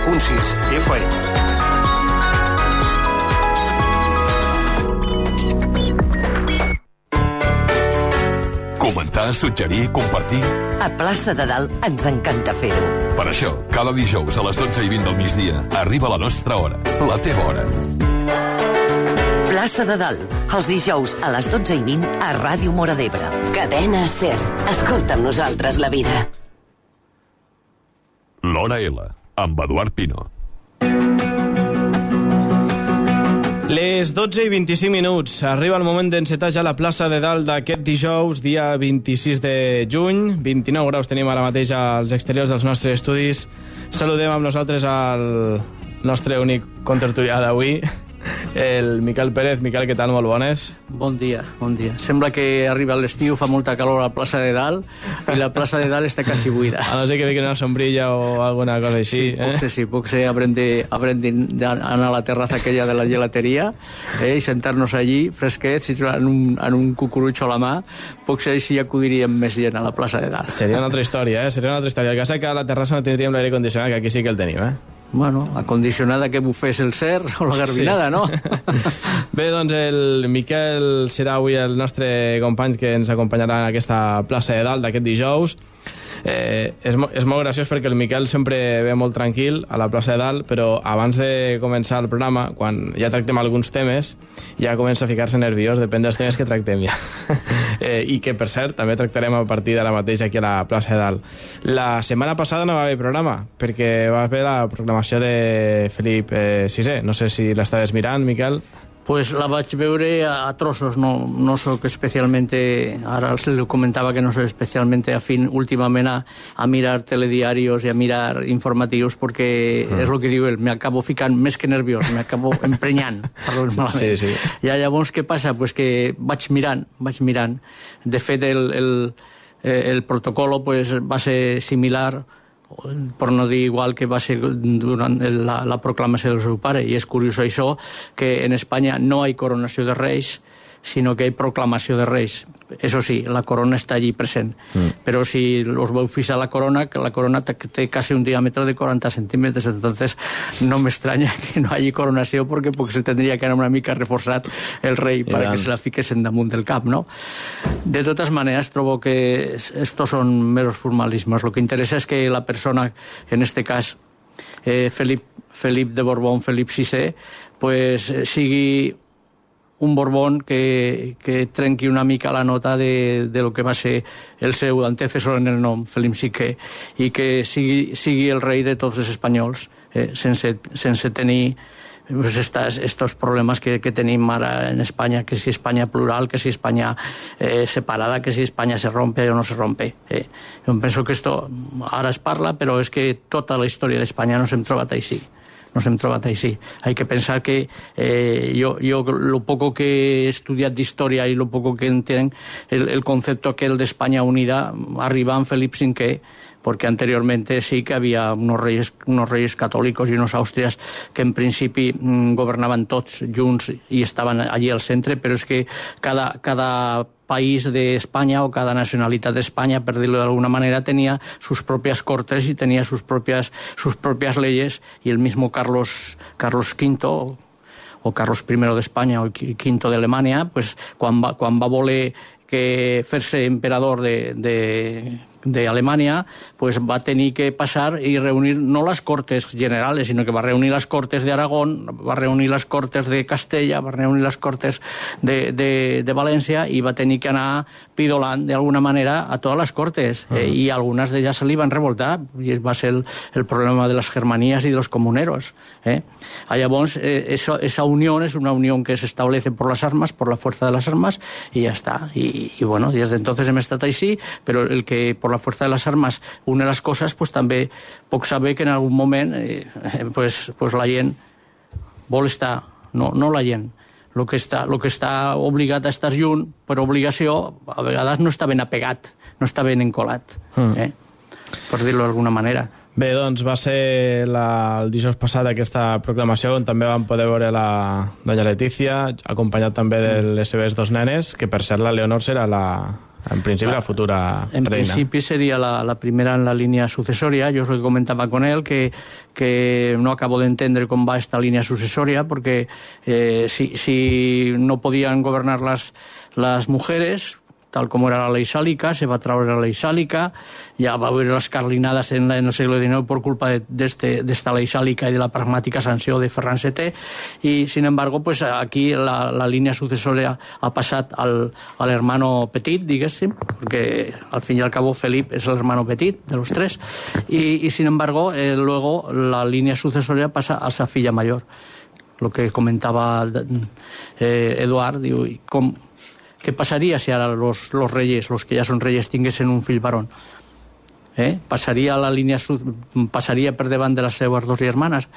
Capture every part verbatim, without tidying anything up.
vuit punt sis F M. Comentar, suggerir, compartir... A Plaça de Dalt ens encanta fer-ho. Per això, cada dijous a les dotze i vint del migdia arriba la nostra hora, la teva hora. Plaça de Dalt, els dijous a les dotze i vint a Ràdio Móra d'Ebre. Cadena SER. Escolta amb nosaltres la vida. L'Hora L, amb Eduard Pino. Les dotze i vint-i-cinc minuts. Arriba el moment d'encetar ja la plaça de Dalt d'aquest dijous, dia vint-i-sis de juny. vint-i-nou graus tenim ara mateix als exteriors dels nostres estudis. Saludem amb nosaltres al nostre únic contertulià d'avui, el Miquel Pérez. Miquel, què tal? Molt bones. Bon dia, bon dia. Sembla que arriba l'estiu, fa molta calor a la plaça de Dalt i la plaça de Dalt està quasi buida. A no ser que vingui una sombrilla o alguna cosa així. Sí, potser eh? sí, potser haurem d'anar a la terraza aquella de la gelateria eh, i sentar-nos allí fresquets i en un, en un cucurutxo a la mà. Potser així acudiríem més gent a la plaça de Dalt. Seria una altra història, eh? Seria una altra història. El cas és que a la terrassa no tindríem l'aire condicionat, que aquí sí que el tenim, eh? Bueno, acondicionada que bufés el SER o la Garbinada, sí. No? Bé, doncs el Miquel serà avui el nostre company que ens acompanyarà en aquesta plaça de Dalt d'aquest dijous. Eh, és, és molt graciós perquè el Miquel sempre ve molt tranquil a la plaça de Dalt, però abans de començar el programa, quan ja tractem alguns temes, ja comença a ficar-se nerviós, depèn dels temes que tractem ja. eh, I que, per cert, també tractarem a partir d'ara mateix aquí a la plaça de Dalt. La setmana passada no va haver programa, perquè va haver la proclamació de Felip eh, sisè. No sé si l'estaves mirant, Miquel. Pues la vaig veure a trossos, no, no soc especialmente, ara se li comentava que no soc especialmente afín últimament a, a mirar telediarios i a mirar informatius, perquè mm. és el que diu ell, m'acabo ficant més que nerviós, m'acabo emprenyant, parlo malament. Sí, sí. I llavors què passa? Pues que vaig mirant, vaig mirant. De fet, el, el, el protocolo pues, va ser similar, per no dir igual que va ser durant la, la proclamació del seu pare. I és curiós això, que en Espanya no hi ha coronació de reis, sinó que hi ha proclamació de reis. Eso sí, la corona està allí present. Mm. Però si us veu fixar la corona, que la corona té quasi un diàmetre de quaranta centímetres, entonces no m'estranya que no hi hagi coronació, perquè potser tindria que anar una mica reforçat el rei para que se la fiquessin damunt del cap, no? De totes maneres, trobo que estos son meros formalismes. Lo que interessa és que la persona, en este cas, eh, Felip, Felip de Borbón, Felip sisè, pues sigui un Borbón que, que trenqui una mica la nota de, de lo que va ser el seu antecessor en el nom, Felip cinquè, i que sigui, sigui el rei de tots els espanyols, eh, sense, sense tenir pues, estos, estos problemes que, que tenim ara en Espanya, que si Espanya plural, que si Espanya eh, separada, que si Espanya se rompe o no se rompe. Eh. Jo penso que esto ara es parla, però és que tota la història d'Espanya no s'hem trobat així. Nos hem trobat així. Hay que pensar que eh, yo, yo lo poco que he estudiat d'història i lo poco que entenc, el, el concepto aquel de España unida arriba en Felip cinquè, porque anteriormente sí que había unos reyes, unos reyes católicos y unos austrias que en principi mmm, governaven tots junts i estaven allí al centre, però és que cada, cada país de España o cada nacionalitat d'Espanya, per dir-lo d'alguna manera, tenía sus propias cortes y tenía sus propias, sus propias leyes, y el mismo Carlos, Carlos quinto o Carlos primero de España o quinto de Alemanya, pues, quan va, quan va voler que fer-se emperador de, de, de Alemanya, pues va tenir que passar i reunir no les cortes generales, sinó que va reunir les cortes d'Aragón, va reunir les cortes de Castella, va reunir les cortes de, de, de València, i va tenir que anar pidolant d'alguna manera a totes les cortes, uh-huh. eh, i algunes d'elles se li van revoltar, i va ser el, el problema de les germanías y de los comuneros. Eh? Llavors, eh, eso, esa unión es una unión que se establece por las armas, por la fuerza de las armas, y ya está. Y, y bueno, desde entonces hem estat així, però el que por la fuerza de las armas une les coses, pues també puc saber que en algun moment eh, pues, pues la gent vol estar, no, no la gent, el que està, lo que està obligat a estar junt per obligació, a vegades no està ben apegat, no està ben encolat, eh? Per dir-lo d'alguna manera. Bé, doncs va ser la, el dijous passat aquesta proclamació, on també vam poder veure la doña Letícia, acompanyat també de les seves dos nenes, que per cert la Leonor serà la, En principi, la, la futura en reina. En principi sería la, la primera en la línea sucesoria. Yo es lo que comentaba con él, que, que no acabo de entender cómo va esta línea sucesoria, porque eh, si, si no podían gobernar las, las mujeres, tal como era la ley sálica, se va a traer la ley sálica, ya va a haber las carlinadas en, la, en el siglo diecinueve por culpa de, de, este, de esta ley sálica y de la pragmática sanció de Ferran sètè, y sin embargo pues aquí la, la línea sucesoria ha passat al, al hermano petit, diguéssim, porque al fin y al cabo Felip es el hermano petit de los tres, y, y sin embargo eh, luego la línea sucesoria pasa a sa filla mayor, lo que comentaba eh, Eduard, diu, com ¿qué pasaría si ahora los, los reyes, los que ya son reyes, tinguesen un fill varón? ¿Eh? ¿Pasaría la línea, pasaría per davant de las seues dos hermanas?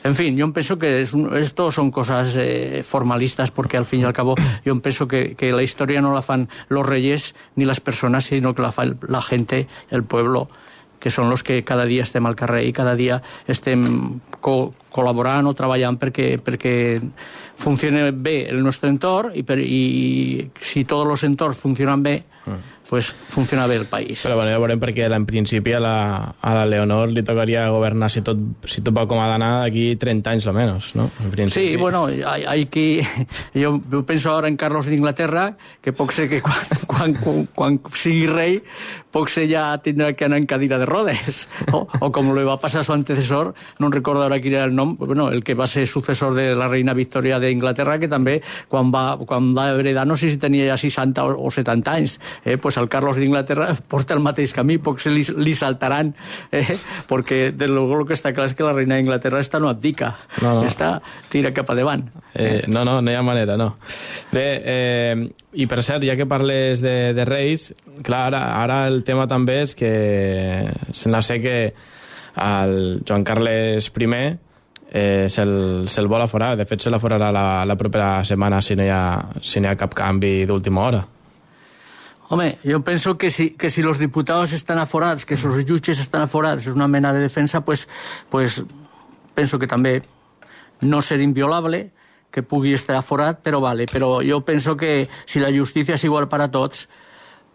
En fin, yo pienso que es un, esto son cosas eh, formalistas, porque al fin y al cabo yo pienso que, que la historia no la fan los reyes ni las personas, sino que la fa la gente, el pueblo, que són els que cada dia estem al carrer i cada dia estem co col·laborant o treballant perquè, perquè funcioni bé el nostre entorn, i, per, i si tots els entorns funcionen bé, mm. pues funciona bé el país. Però bueno, ja veurem, perquè en principi a la, a la Leonor li tocaria governar, si tot, si tot va com ha d'anar, d'aquí treinta anys o menos, ¿no? En principi. Sí, bueno, hay, hay que... Jo penso ara en Carlos d'Inglaterra, que pot ser que quan, quan, quan, quan sigui rei, pot ser ja tindrà que anar en cadira de rodes, o, o com li va passar a su antecesor, no recordo ara quin era el nom, bueno, el que va ser successor de la reina Victòria d'Inglaterra, que també quan va, quan va heredar, no sé si tenia ja seixanta o setanta anys, eh, pues el Carlos d'Inglaterra porta el mateix camí, potser li, li saltaran, eh, perquè de luego el que està clar és que la reina d'Inglaterra esta no abdica, no, no. Esta tira cap endavant. Eh, no, no, no hi ha manera, no. Bé, eh, i per cert, ja que parles de, de reis, clar, ara, ara el tema també és que sembla ser que el Joan Carles primer eh, se'l se vol aforar, de fet se l'aforarà la, la propera setmana si no hi ha, si no hi ha cap canvi d'última hora. Hombre, yo pienso que si, que si los diputados están aforados, que esos jueces están aforados, es una mena de defensa, pues, pues pienso que también no ser inviolable, que pugui estar aforat, pero vale. Pero yo pienso que si la justicia es igual para todos,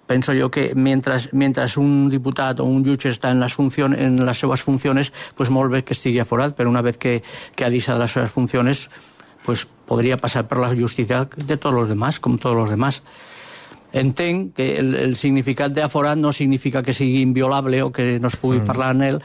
pienso yo que mientras, mientras un diputado o un jutge está en las, funciones, en las seues funciones, pues molt bé que estigui aforat, pero una vez que, que ha deixat las seues funciones, pues podría pasar por la justicia de todos los demás, como todos los demás. Entenc que el, el significat d'aforat no significa que sigui inviolable o que no es pugui mm. parlar en ell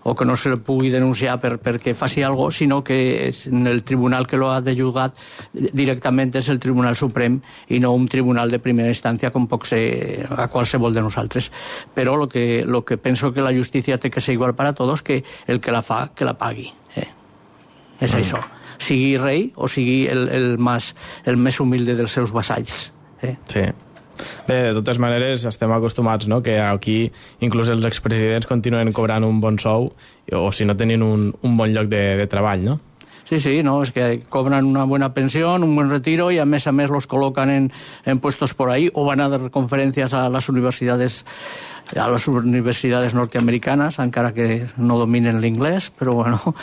o que no se pugui denunciar per, perquè faci alguna cosa, sinó que és en el tribunal que lo ha de juzgar directament és el Tribunal Suprem i no un tribunal de primera instància com pot ser a qualsevol de nosaltres. Però lo que, lo que penso que la justícia té que ser igual per a tots, que el que la fa, que la pagui. Eh? És mm. això. Sigui rei o sigui el, el, més, el més humilde dels seus vassalls. Eh? Sí. Bé, de totes maneres estem acostumats, no?, que aquí inclús els expresidents continuen cobrant un bon sou o si no tenien un, un bon lloc de, de treball, no? Sí, sí, no, es que cobran una buena pensión, un buen retiro y a mes a mes los colocan en, en puestos por ahí o van a dar conferencias a las universidades a las universidades norteamericanas, encara que no dominen l'inglès, però bueno,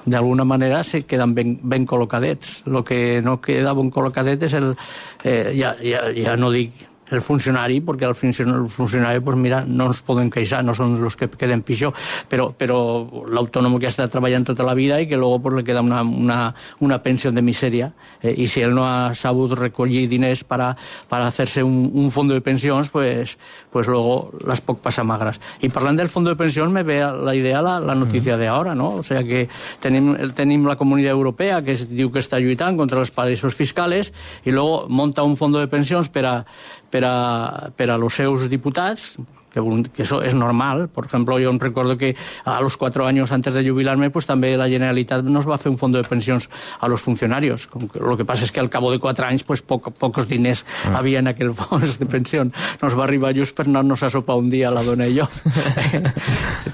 d'alguna manera se queden ben, ben col·locadets. El que no queda ben col·locadet és el... Eh, ja, ja, ja no dic el funcionari, perquè al funcionari, pues mira, no ens poden queixar, no són els que queden pitjor, però, però l'autònom que ha estat treballant tota la vida i que luego pues, le queda una, una, una pensió de misèria, eh, i si ell no ha sabut recollir diners para, para hacerse un, un fondo de pensions, pues, pues luego las pot passar magres. I parlant del fondo de pensions me ve la idea la, la notícia de ahora, ¿no? O sea que tenim, tenim la Comunitat Europea que es, diu que està lluitant contra els paraísos fiscals i luego monta un fondo de pensions per a per a, per a los seus diputats, que, que eso es normal. Por ejemplo, yo recuerdo que a los cuatro años antes de jubilarme, pues también la Generalitat nos va a hacer un fondo de pensions a los funcionarios. Lo que pasa es que al cabo de cuatro anys, pues poco, pocos diners ah. havia en aquell fons de pensió. Nos va arribar just per anar-nos a sopar un dia, la dona i jo.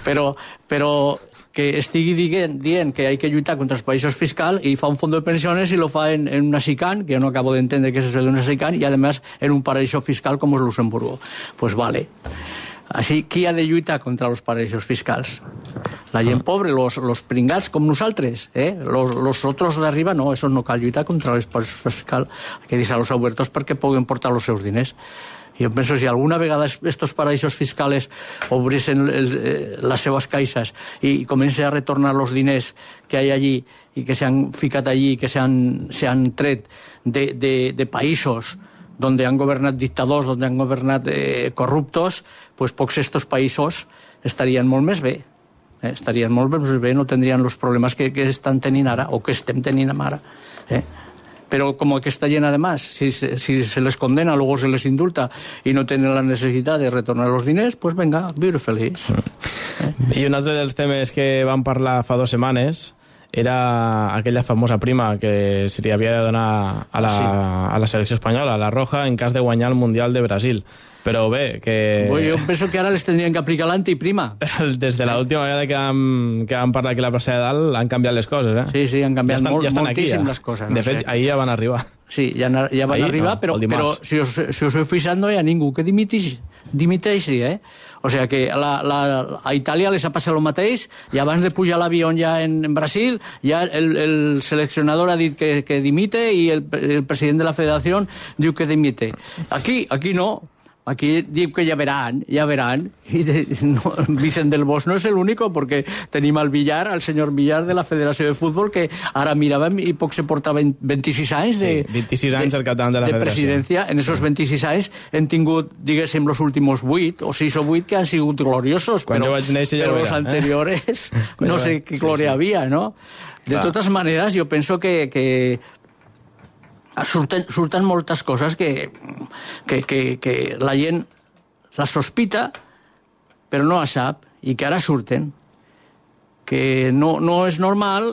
però, però que estigui dient, dient que hay que lluitar contra els països fiscals i fa un fondo de pensiones i lo fa en, en una SICAN, que yo no acabo de entender qué es eso de una SICAN, y además en un paraíso fiscal como es Luxemburgo. Pues vale. Així, qui ha de lluitar contra els paraïsos fiscals? La gent pobra, los, los pringats com nosaltres, eh? Los, los otros de arriba no, eso no cal lluitar contra els paraïsos fiscals, hay que deixar-los obertos perquè puguen portar els seus diners. Jo penso si alguna vegada estos paraïsos fiscals obrissin les seves caixes i comencen a retornar els diners que hi ha allí i que s'han ficat allí, que s'han tret de, de, de països donde han governat dictadors, donde han governat eh, corruptos, pues pocs estos països estarien molt més bé. Eh? Estarien molt més bé, no tindrien els problemes que, que estan tenint ara, o que estem tenint ara. Eh? Pero como que está llena de más, si, si se les condena, luego se les indulta y no tienen la necesidad de retornar los diners, pues venga, viure feliç. Mm. Eh? I un altre dels temes que vam parlar fa dues setmanes era aquella famosa prima que se li havia de donar a la, sí. a la selecció espanyola, a la Roja, en cas de guanyar el Mundial de Brasil. Però bé, que... Bueno, jo penso que ara les tindrien que aplicar l'antiprima. Des de l'última vegada que vam, que vam parlar aquí a la plaça de Dalt han canviat les coses, eh? Sí, sí, han canviat ja estan, molt, ja moltíssim aquí, ja. les coses. De no fet, sé. ahir ja van arribar. Sí, ja, ja van ahir, arribar, no, però, però si us, si us heu fixat no hi ha ningú que dimiteixi, dimiteixi eh? O sigui que a, la, la, a Itàlia les ha passat el mateix, i abans de pujar a l'avió ja en, en Brasil, ja el, el seleccionador ha dit que, que dimite i el, el president de la federació diu que dimite. Aquí, aquí no. Aquí diu que ja veran, ja veran. I de, no, Vicent del Bosch no és l'únic, perquè tenim al Villar, al senyor Villar de la Federació de Futbol, que ara miràvem i poc se porta vint-i-sis anys de, sí, vint-i-sis anys al capitán de la de Federació. Presidència. En esos vint-i-sis anys hem tingut, diguéssim, els últims vuit o sis o vuit que han sigut gloriosos, Quan però, jo vaig néixer ja però ho els era, anteriores eh? no sé què glòria sí, sí. havia, no? De Clar. Totes maneres, jo penso que, que surten, surten moltes coses que, que, que, que la gent la sospita, però no la sap, i que ara surten. Que no, no és normal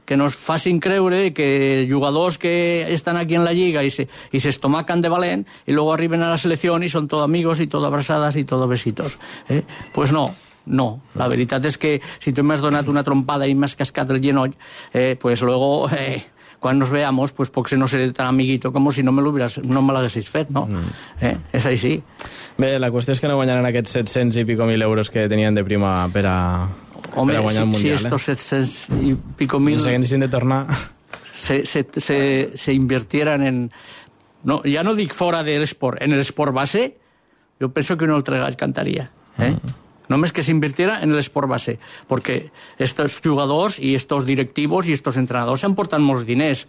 que nos facin creure que jugadors que estan aquí en la lliga i se, i se estomaquen de valent i luego arriben a la selecció i són tot amigos i tot abraçades i tot besitos. Eh? Pues no. No, la veritat és que si tu m'has donat una trompada i m'has cascat el genoll, eh, pues luego... Eh, quan nos veamos, pues poc se no seré tan amiguito com si no me no me l'haguessis fet, no? Mm. Eh? És així. Bé, la qüestió és que no guanyaran aquests set-cents i pico mil euros que tenien de prima per a, Home, per a guanyar si, el Mundial. Si estos set-cents i pico mil... No s'haguessin de tornar... Se, se, se, se invirtieran en... No, ja no dic fora de l'esport, en l'esport base, jo penso que un altre gall cantaria. Eh? Mm. Només que s'invirtiera en l'esport base, perquè estos jugadors i estos directivos i estos entrenadors han portat molts diners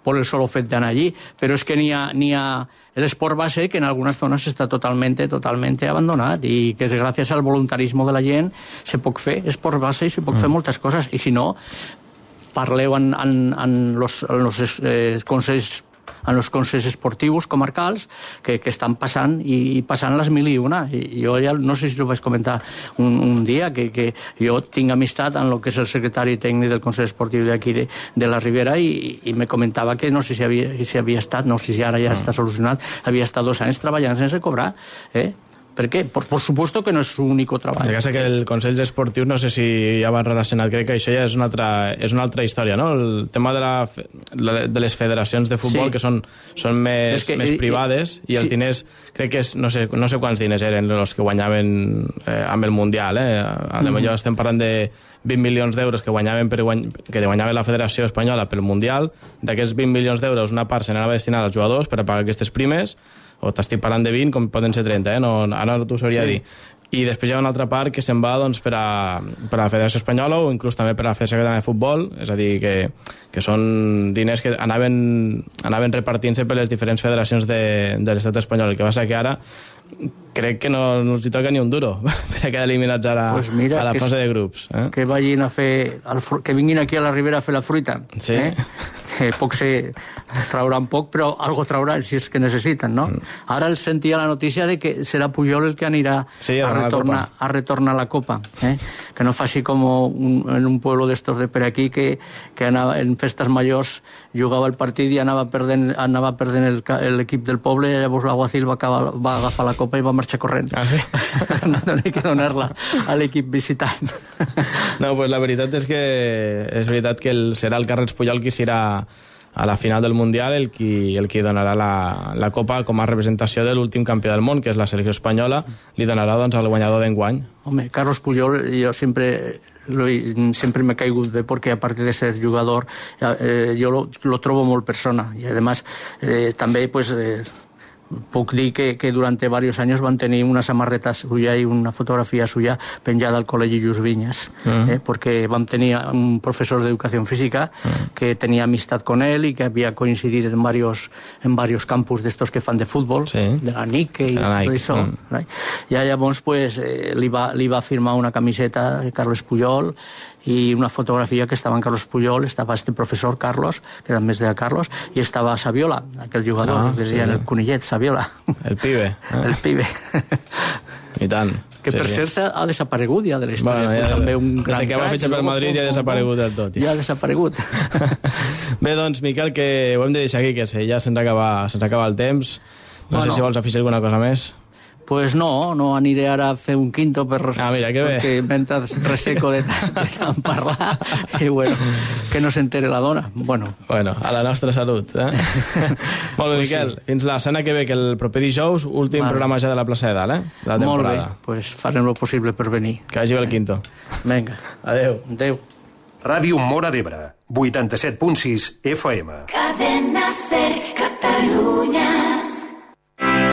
per el solo fet d'anar allí, però és que n'hi ha, n'hi ha l'esport base que en algunes zones està totalment, totalment abandonat i que gràcies al voluntarisme de la gent se pot fer esport base i se pot mm. fer moltes coses, i si no parleu en, en, en los, en los eh, consells en els consells esportius comarcals que, que estan passant i, i passant les mil i una. I jo ja no sé si ho vaig comentar un, un dia, que, que jo tinc amistat en el que és el secretari tècnic del Consell Esportiu d'aquí de, de la Ribera i, i me comentava que no sé si havia, si havia estat, no sé si ara ja està solucionat, havia estat dos anys treballant sense cobrar, eh? ¿Por qué? Por, por supuesto que no és su único treball. El cas és que el Consell Esportiu, no sé si ja van relacionat, crec que això ja és una altra, és una altra història, no? El tema de, la, de les federacions de futbol, sí. que són, són més, que, més privades, i, i els sí. diners, crec que és, no sé, no sé quants diners eren els que guanyaven eh, amb el Mundial, eh? A lo millor mm. estem parlant de vint milions d'euros que guanyaven per guany... que guanyava la Federació Espanyola pel Mundial. D'aquests vint milions d'euros, una part se n'anava destinada als jugadors per a pagar aquestes primes, o t'estic parlant de vint, com poden ser trenta, eh? no, ara no t'ho sabria sí. dir. I després hi ha una altra part que se'n va doncs, per, a, per a la Federació Espanyola o inclús també per a la Federació Catalana de Futbol, és a dir, que, que són diners que anaven, anaven repartint-se per les diferents federacions de, de l'estat espanyol. El que passa que ara crec que no, no els hi toca ni un duro per a quedar eliminats ara pues mira, a la fase de grups. Eh? Que vagin a fer, que vinguin aquí a la Ribera a fer la fruita. Sí. Eh? Que poc se trauran poc, però algo trauran si és que necessiten, no? Mm. Ara els sentia la notícia de que serà Pujol el que anirà sí, a, retornar, a retornar la Copa. Eh? Que no faci com un, en un pueblo d'estos de per aquí que, que anava, en festes majors jugava el partit i anava perdent, anava perdent l'equip del poble, i llavors l'Aguacil va, acabar, va agafar la Copa i va marxar corrent. Ah, sí? No tenia que donar-la a l'equip visitant. No, pues la veritat és que és veritat que el, serà el Carles Pujol qui serà a la final del Mundial el qui, el qui donarà la, la Copa com a representació de l'últim campió del món, que és la selecció espanyola, li donarà doncs, al guanyador d'enguany. Home, Carlos Pujol, yo siempre, lo, siempre me he caigut bé porque aparte de ser jugador, eh, yo lo, lo trobo molt persona y además eh, també pues, eh, puc dir que, que durante varios años van tenir una samarreta suya y una fotografía suya penjada al Col·legi Lluís Vinyes, mm. eh, porque van tenir un profesor de educación física mm. que tenía amistad con él y que había coincidido en varios, en varios campus d'estos que fan de futbol, sí. de la Nike i tot això. Mm. I llavors pues, eh, li, va, li va firmar una camiseta de Carles Puyol i una fotografia que estava en Carlos Puyol, estava este professor Carlos, que era més de Carlos, i estava Saviola, aquell jugador, ah, que deien sí. el conillet, Saviola. El pibe. Ah. El pibe. I tant. Que per sí, cert sí. ha desaparegut ja de la història. Bueno, ja, també un gran des que va fitxar per Madrid ja ha desaparegut del tot. Ja, ja ha desaparegut. Bé, doncs, Miquel, que ho hem de deixar aquí, que ja se'ns acaba, se'ns acaba el temps. No bueno. sé si vols afegir alguna cosa més. Pues no, no aniré ara a fer un quinto per, ah, mira, que perquè mentre reseco de, de tant parlar i bueno, que no s'entere la dona. Bueno, bueno a la nostra salut. Eh? Molt bé, pues Miquel, sí. Fins la setmana que ve, que el proper dijous, últim vale. programa ja de la plaça de dalt, eh? De la temporada. Molt bé, pues farem el possible per venir. Que vagi bé el quinto. Vinga, adeu. Adeu. Ràdio Móra d'Ebre, vuitanta-set punt sis F M. Cadena Ser Catalunya.